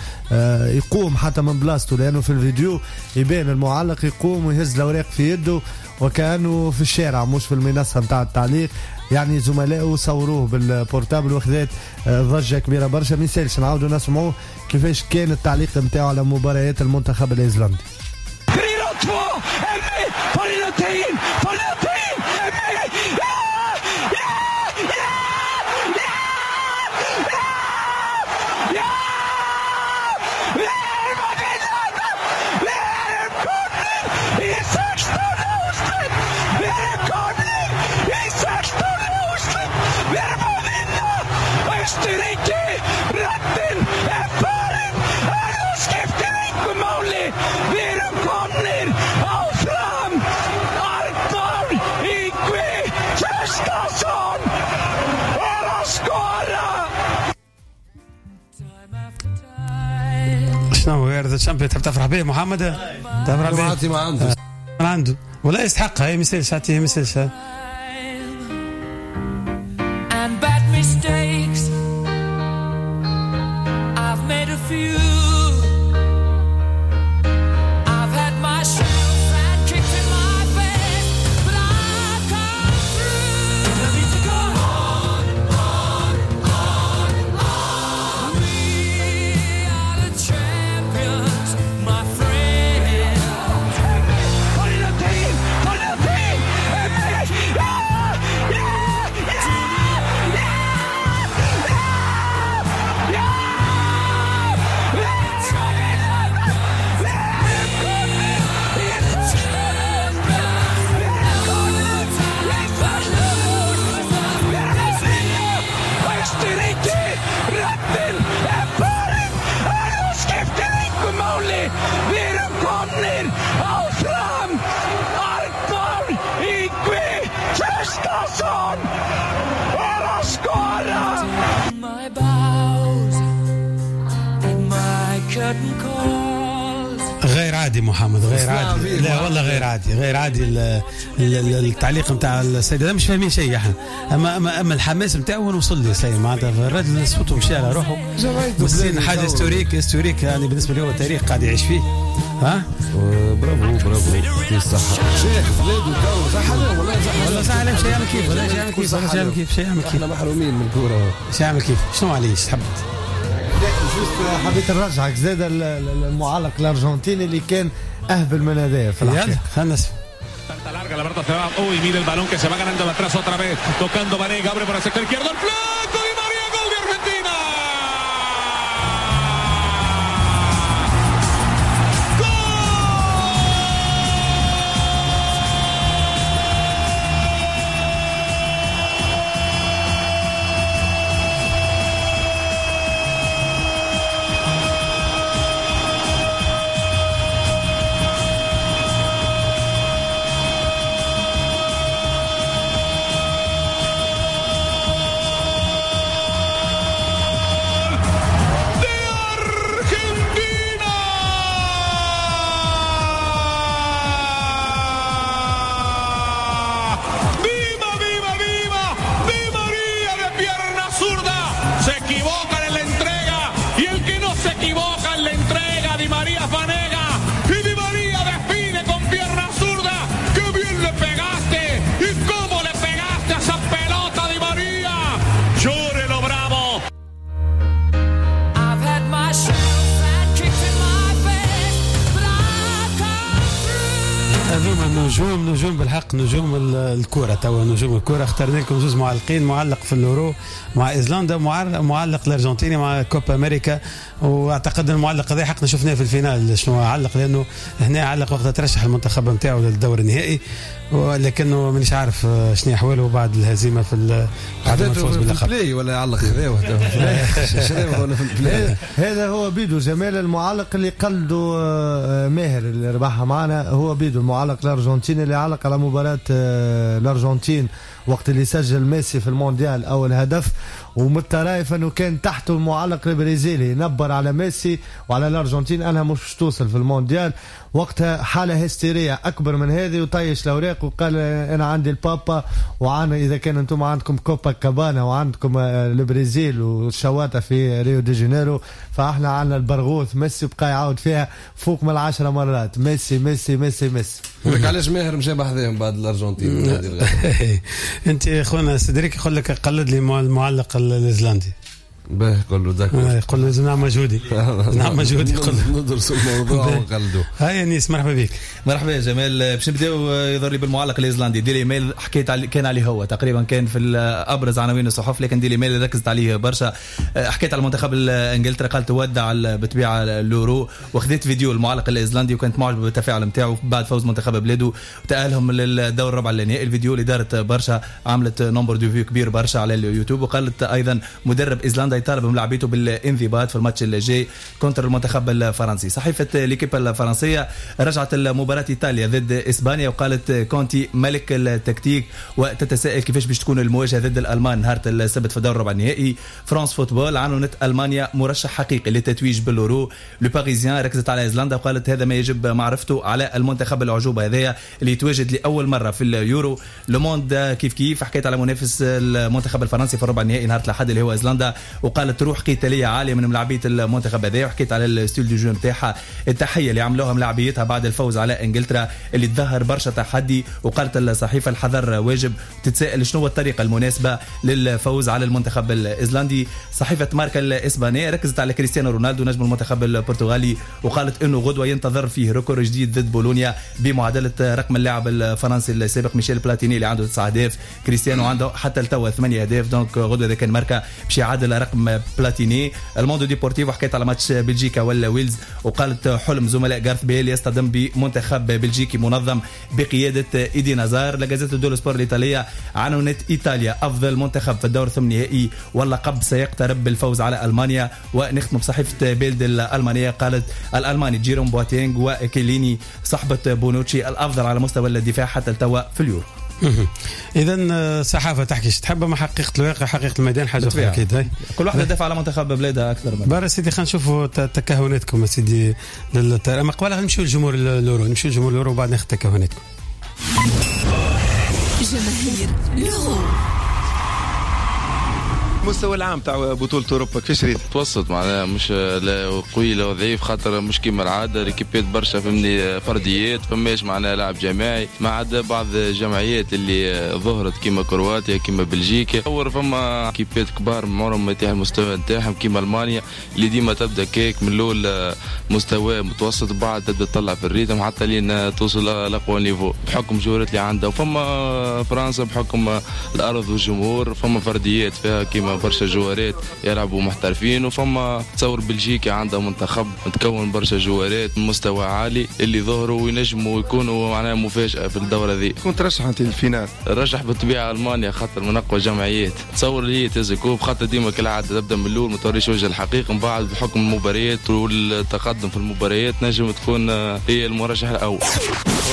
يقوم حتى من بلاصته، لانه في الفيديو يبان المعلق يقوم ويهز الاوراق في يده وكانه في الشارع مش في المنصة نتاع التعليق. يعني زملائه صوروه بال portable وخذات ضجه كبيرة برشا. ما يسالش نعاودوا نسمعوه كيفاش كان التعليق نتاعو على مباريات المنتخب الايزلاندي. شنو we are the champions، تحب تفرح به محمد؟ تفرح به؟ ما عنده، ما عنده ولا يستحقها. هي ما يسالش، ما يسالش. Yeah! Komnir áfram! Arnór Ingvi Traustason er að skora! My bows and my curtain calls. غير عادي محمد، غير عادي، لا والله غير عادي، غير عادي. التعليق نتاع السيد هذا مش فاهمين شيء احنا، اما الحماس نتاعو وين وصل لي سيد، معناتها الراجل صوته مشى على روحه، والسين حاجة historique historique، يعني بالنسبة له هو تاريخ قاعد يعيش فيه. ها برافو برافو، يعطيه الصحة شيخ بلاده تو، صح عليهم والله، صح والله، صح عليهم. شيء يعمل كيف، والله شيء يعمل كيف، والله شيء يعمل كيف، شيء يعمل كيف، احنا محرومين من الكورة. شيء يعمل كيف، شنو عليه تحب؟ juste حبيت نرجعك زاد المعلق الارجنتيني اللي كان اهبل من هذايا في الحقيقة. خلينا نسمع. Larga la pelota se va. Uy, mira el balón que se va ganando de atrás otra vez. Tocando Vanega, abre por el sector izquierdo. El flanco Di María, gol de Argentina. نجوم نجوم بالحق، نجوم الكرة توا، نجوم الكرة. اخترنا لكم زوز معلقين، معلق في اليورو مع ايزلندا، معلق الارجنتيني مع كوبا امريكا. واعتقد المعلق هذا حقنا شفناه في ال finale شنو علق، لانه هنا علق وقت ترشح المنتخب نتاعو للدور النهائي، ولكنه مانيش عارف شنو احواله بعد الهزيمة في بعد الفوز باللقب. play ولا يعلق ولا في ال play. هذا هو بيدو جمال المعلق اللي قلدوا ماهر اللي ربحها معنا، هو بيدو المعلق الارجنتيني اللي علق على مباراة الارجنتين وقت اللي سجل ميسي في المونديال اول هدف، ومن الطرائف انه كان تحته المعلق البرازيلي نبر على ميسي وعلى الارجنتين انها مش توصل في المونديال. وقتها حاله هستيريه اكبر من هذه، وطيش الاوراق وقال انا عندي البابا، وعنا اذا كان انتم عندكم كوبا كابانا وعندكم البرازيل والشواطئ في ريو دي جانيرو، فاحنا عندنا البرغوث ميسي. بقى يعاود فيها فوق من 10 مرات، ميسي ميسي ميسي ميسي. لك علاش ماهر مشى بحذاهم بعد الارجنتين؟ انت خونا سيدريك يقول لك قلد لي المعلق الايزلندي. باه قول له d'accord، قول له نعم مجهودي، نعم مجهودي، قول له ندرس الموضوع ونقلدو. هاي انيس مرحبا بك. مرحبا يا جمال. باش نبداو يظهر لي بالمعلق الايزلندي ديلي ميل، حكيت علي كان عليه هو تقريبا كان في ابرز عناوين الصحف، لكن ديلي ميل ركزت عليه برشا. حكيت على المنتخب انجلترا، قالت ودع بالطبيعة اليورو، وخذيت فيديو المعلق الايزلندي وكانت معجبه بالتفاعل نتاعو بعد فوز منتخب بلاده وتاهلهم للدور الربع النهائي. الفيديو اللي دارت برشا، عملت nombre de vues كبير برشا على اليوتيوب. وقالت ايضا مدرب ايزلندا يطالب ملاعبيته بالانضباط في الماتش اللي جاي contre المنتخب الفرنسي. صحيفة ليكيب الفرنسية رجعت المباراة ايطاليا ضد اسبانيا، وقالت كونتي ملك التكتيك، وتتساءل كيفاش باش تكون المواجهة ضد الالمان نهار السبت في الدور الربع النهائي. فرانس فوتبول عنونت المانيا مرشح حقيقي للتتويج بالورو. لو باريزيان ركزت على ايزلندا وقالت هذا ما يجب معرفته على المنتخب العجوبه هذايا اللي يتواجد لاول مرة في اليورو. لو موند كيف كيف حكيت على منافس المنتخب الفرنسي في الربع النهائي نهار الاحد اللي هو ايزلندا، وقالت روح قتالية عالية من ملاعبيه المنتخب هذا، وحكيت على ال style de jeu نتاعها، التحية اللي عملوها ملاعبيتها بعد الفوز على انجلترا اللي تظهر برشا تحدي. وقالت الصحيفة الحذر واجب، تتساءل شنو الطريقة المناسبة للفوز على المنتخب الايزلندي. صحيفة ماركا الاسبانية ركزت على كريستيانو رونالدو نجم المنتخب البرتغالي، وقالت انه غدوه ينتظر فيه record جديد ضد بولونيا بمعادله رقم اللاعب الفرنسي السابق ميشيل بلاتيني اللي عنده 9 اهداف، كريستيانو عنده حتى لتوا 8 اهداف. donc غدوه اذا كان ماركا باش يعادل رقم رقم بلاتيني. الموندو ديبورتيفو حكيت على ماتش بلجيكا ولا ويلز، وقالت حلم زملاء غارث بيل يصطدم بمنتخب بلجيكي منظم بقيادة ايدي نازار. لا غازيتا دولو سبور الايطالية عنونت ايطاليا افضل منتخب في الدور الثمن النهائي واللقب سيقترب بالفوز على المانيا. ونختم بصحيفة بيلد الالمانية، قالت الالماني جيروم بواتينغ وكيليني صحبه بونوتشي الافضل على مستوى الدفاع حتى التوا في اليورو. اذا الصحافة تحكي تحب، ما حقيقة الواقع حقيقة الميدان حاجة اخرى اكيد. كل واحدة تدافع على منتخب بلادها اكثر من برا. سيدي خلينا نشوفوا تكهناتكم سيدي. اما قبل نمشيو للجمهور l'Euro، نمشيو للجمهور l'Euro وبعد ناخذ تكهناتكم. جماهير l'Euro. المستوى العام تاع بطولة أوروبا كيفاش ريت؟ متوسط معناها، مش لا قوي لا ضعيف، خاطر مش كيما العادة l'équipe ات برشا فهمني فرديات، فماش معناها لعب جماعي، ما عدا بعض الجمعيات اللي ظهرت كيما كرواتيا كيما بلجيكا. تصور فما équipe ات كبار عمرهم ما يتيح المستوى نتاعهم كيما ألمانيا اللي ديما تبدا كيك من الأول مستوى متوسط، بعد تبدا تطلع في ال rythme حتى لين توصل لأقوى niveau بحكم جوارات اللي عندها. وفما فرنسا بحكم الأرض والجمهور فما فرديات فيها كيما برشا جوارات يلعبوا محترفين. وفما تصور بلجيكا عندها منتخب متكون برشا جوارات مستوى عالي اللي ظهروا وينجموا يكونوا معناها مفاجأة في الدورة ذي. كنت ترشح انت لل finale؟ رشح بالطبيعة ألمانيا خاطر من أقوى جمعيات، تصور اللي هي تهز coupe خاطر ديما كالعادة تبدا من الأول ما توريش وجه الحقيقي، من بعد بحكم المباريات والتقدم في المباريات نجم تكون هي المرشح الأول.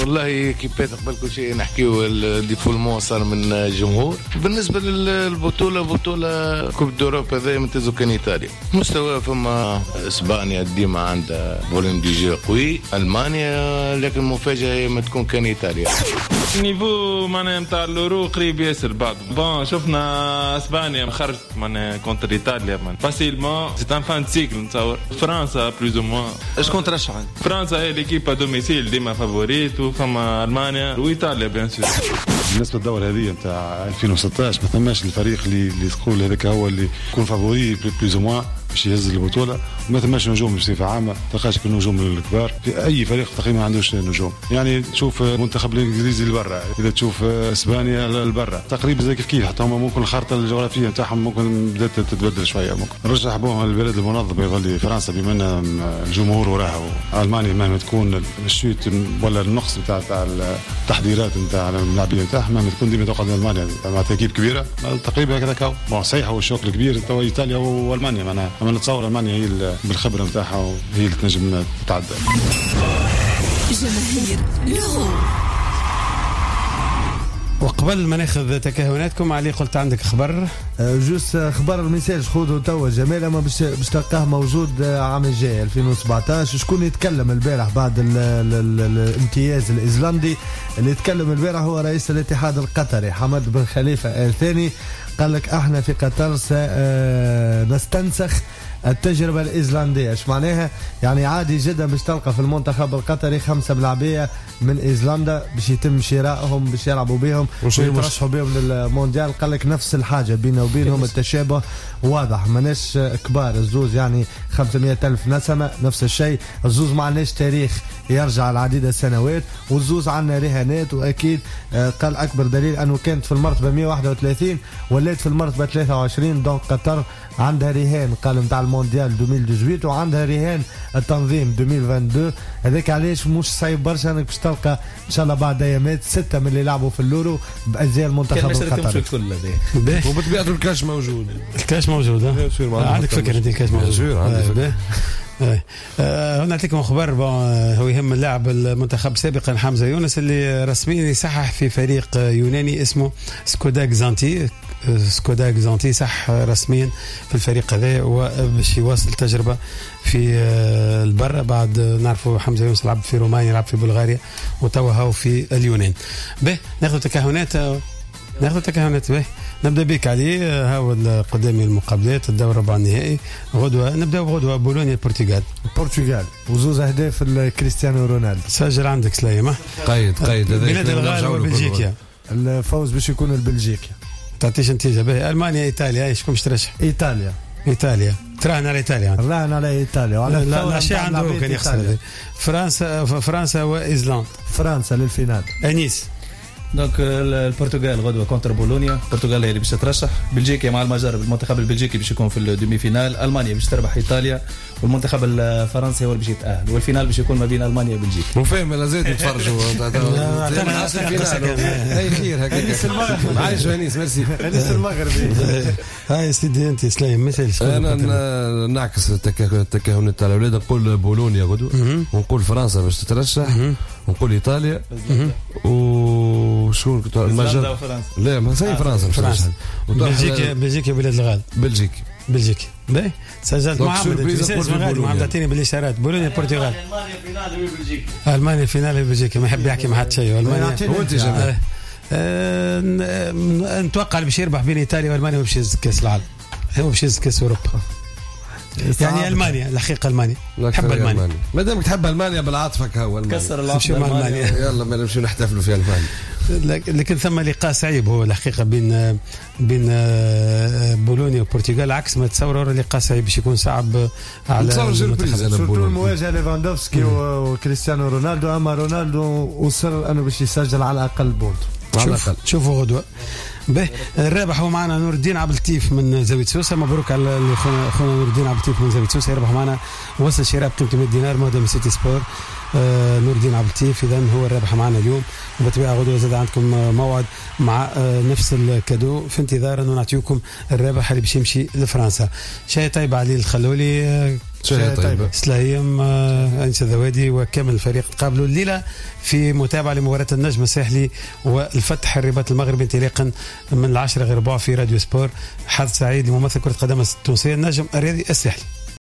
والله équipe ات قبل كل شيء نحكيو ال défoulement صار من الجمهور. بالنسبة للبطولة، بطولة coupe d'Europe هذا يمتازو كان ايطاليا مستوى، فما اسبانيا ديما عندها volume de jeu قوي، المانيا، لكن المفاجاة ما تكون كان ايطاليا. ال niveau معناها نتاع l'Euro قريب ياسر بعض. bon شفنا اسبانيا خرجت معناها contre ايطاليا facilement، c'est une fin de cycle نتصور. فرنسا plus ou moins. شكون ترشح؟ فرنسا هي l'équipe à domicile ديما favorite، وفما المانيا وايطاليا bien sûr. بالنسبة للدورة هذه نتاع 2016 ما ثماش الفريق اللي تقول هذاك هو اللي يكون favori plus ou moins باش يهز البطولة، وما ثماش نجوم بصفة عامة، تلقاش النجوم الكبار في اي فريق تقريبا ما عندوش نجوم. يعني تشوف المنتخب الانجليزي لبرا، اذا تشوف اسبانيا لبرا تقريبا زي كيف كيف، حتى هما ممكن الخارطة الجغرافية نتاعهم ممكن بدات تتبدل شوية. ممكن نرجح بهم البلد المنظم يظل فرنسا بما ان الجمهور وراها، المانيا مهما تكون ال chute ولا النقص نتاع التحضيرات نتاع اللاعبين نتاعهم مهما تكون ديما تقعد المانيا مع équipe كبيرة تقريبا هكذا. bon صحيح هو ال choc الكبير تو ايطاليا والمانيا معناها، اما نتصور المانيا هي بالخبرة نتاعها وهي اللي تنجم تتعدى. جماهير l'Euro. وقبل ما ناخذ تكهناتكم علي، قلت عندك خبر. juste خبر message خذه توا جمال، اما باش تلقاه موجود عام الجاي 2017. شكون يتكلم البارح بعد الامتياز الايزلاندي؟ اللي يتكلم البارح هو رئيس الاتحاد القطري حمد بن خليفة آل ثاني، قال لك احنا في قطر سنستنسخ التجربة الإيزلاندية. ايش معناها؟ يعني عادي جدا باش تلقى في المنتخب القطري 5 ملاعبية من إيزلندا باش يتم شرائهم باش يلعبوا بهم ويترشحوا بهم للمونديال. قال لك نفس الحاجة بيننا وبينهم، التشابه واضح، ماناش كبار الزوز، يعني 500,000 نسمة نفس الشيء، الزوز ما عندناش تاريخ يرجع العديد السنوات، والزوز عندنا رهانات. وأكيد قال أكبر دليل أنه كانت في المرتبة 131 ولات في المرتبة 23، donc قطر عندها رهان قال نتاع المونديال 2018 وعندها رهان التنظيم 2022. هذاك علاش مش صعيب برشا انك باش تلقى ان شاء الله بعد ايامات 6 من اللي لعبوا في l'Euro بازياء المنتخب القطري. وبطبيعة الكاش موجود، الكاش موجود. عندك فكرة انت الكاش موجود؟ عندي فكرة. نعطيكم خبر هو يهم اللاعب المنتخب سابقا حمزة يونس اللي رسميا يصحح في فريق يوناني اسمه سكودا كزانتي. سكودا كزانتي صح رسميا في الفريق هذا وباش يواصل تجربة في البر. بعد نعرفوا حمزة يونس لعب في رومانيا، لعب في بلغاريا، وتوا هو في اليونان. به ناخذ تكهنات، ناخذ تكهنات. به نبدا بك علي، هاو قدامي المقابلات الدور ربع النهائي غدوه. نبداو بغدوه بولونيا البرتغال. البرتغال وزوز اهداف كريستيانو رونالدو. سجل عندك سليمة. قيد قيد بلاد الغال وبلجيكا. الفوز باش يكون البلجيكا. تعطيش نتيجة. باهي المانيا ايطاليا، شكون باش ترشح؟ ايطاليا. ايطاليا تراهن على ايطاليا. راهن على ايطاليا وعلى لا شيء عنده كان يخسر. فرنسا وايزلاند. فرنسا لل finale. انيس. donc البرتغال غدوه contre بولونيا، البرتغال هي اللي باش تترشح، بلجيكا مع المجر، المنتخب البلجيكي باش يكون في ال demi-finale، المانيا باش تربح ايطاليا، والمنتخب الفرنسي هو اللي باش يتاهل، وال finale باش يكون ما بين المانيا وبلجيكا. وفاهم لا زيد نتفرجوا اي خير هكاك. عايش انيس ميرسي. انيس المغربي. هاي سيدي انت سليم مثل انا نعكس التكهنات تاع الاولاد، نقول بولونيا غدوه، ونقول فرنسا باش تترشح، ونقول ايطاليا، وشكون كنت المجر؟ لا ما سي فرنسا. فرنسا بلجيكا، بلجيكا بلاد الغال. بلجيكا بلجيكا باهي. سجلت محمد محمد اعطيني بالاشارات. بولونيا البرتغال، المانيا finale بلجيكا، المانيا finale بلجيكا، ما يحب يحكي مع حد شيء. المانيا وانت جمال نتوقع اللي باش يربح بين ايطاليا والمانيا باش يهز كاس العالم، هو باش يهز كاس اوروبا. يعني المانيا الحقيقة، المانيا تحب المانيا، ما دامك تحب المانيا بالعاطفه هو كسر العاطفة المانيا. يلا ما نمشيو نحتفلوا في المانيا. لكن ثم لقاء صعيب هو الحقيقة بين بولونيا والبرتغال، عكس ما تصوروا لقاء صعيب باش يكون صعب على المنتخب. المواجهة ليفاندوفسكي وكريستيانو رونالدو، اما رونالدو وصل انه باش يسجل على الاقل but. على الاقل شوفوا غدوه. به الرابح هو معنا نور الدين عبد اللطيف من زاوية سوسة، مبروك على خونا نور الدين عبد اللطيف من زاوية سوسة، يربح معنا وصل شراء بقيمة 100 دينار مهدى من سيتي سبور. نور الدين عبد اللطيف اذا هو الرابح معنا اليوم، وبالطبيعه غدوه زاد عندكم موعد مع نفس ال cadeau، في انتظار انه نعطيكم الرابح اللي باش يمشي لفرنسا. شاي طيب علي الخلولي، شاي طيب سلايم، انس الذوادي وكامل الفريق. تقابلوا الليلة في متابعه لمباراة النجم الساحلي والفتح الرباط المغربي انطلاقا من 9:45 في راديو سبور. حظ سعيد لممثل كره قدم التونسية النجم الرياضي الساحلي.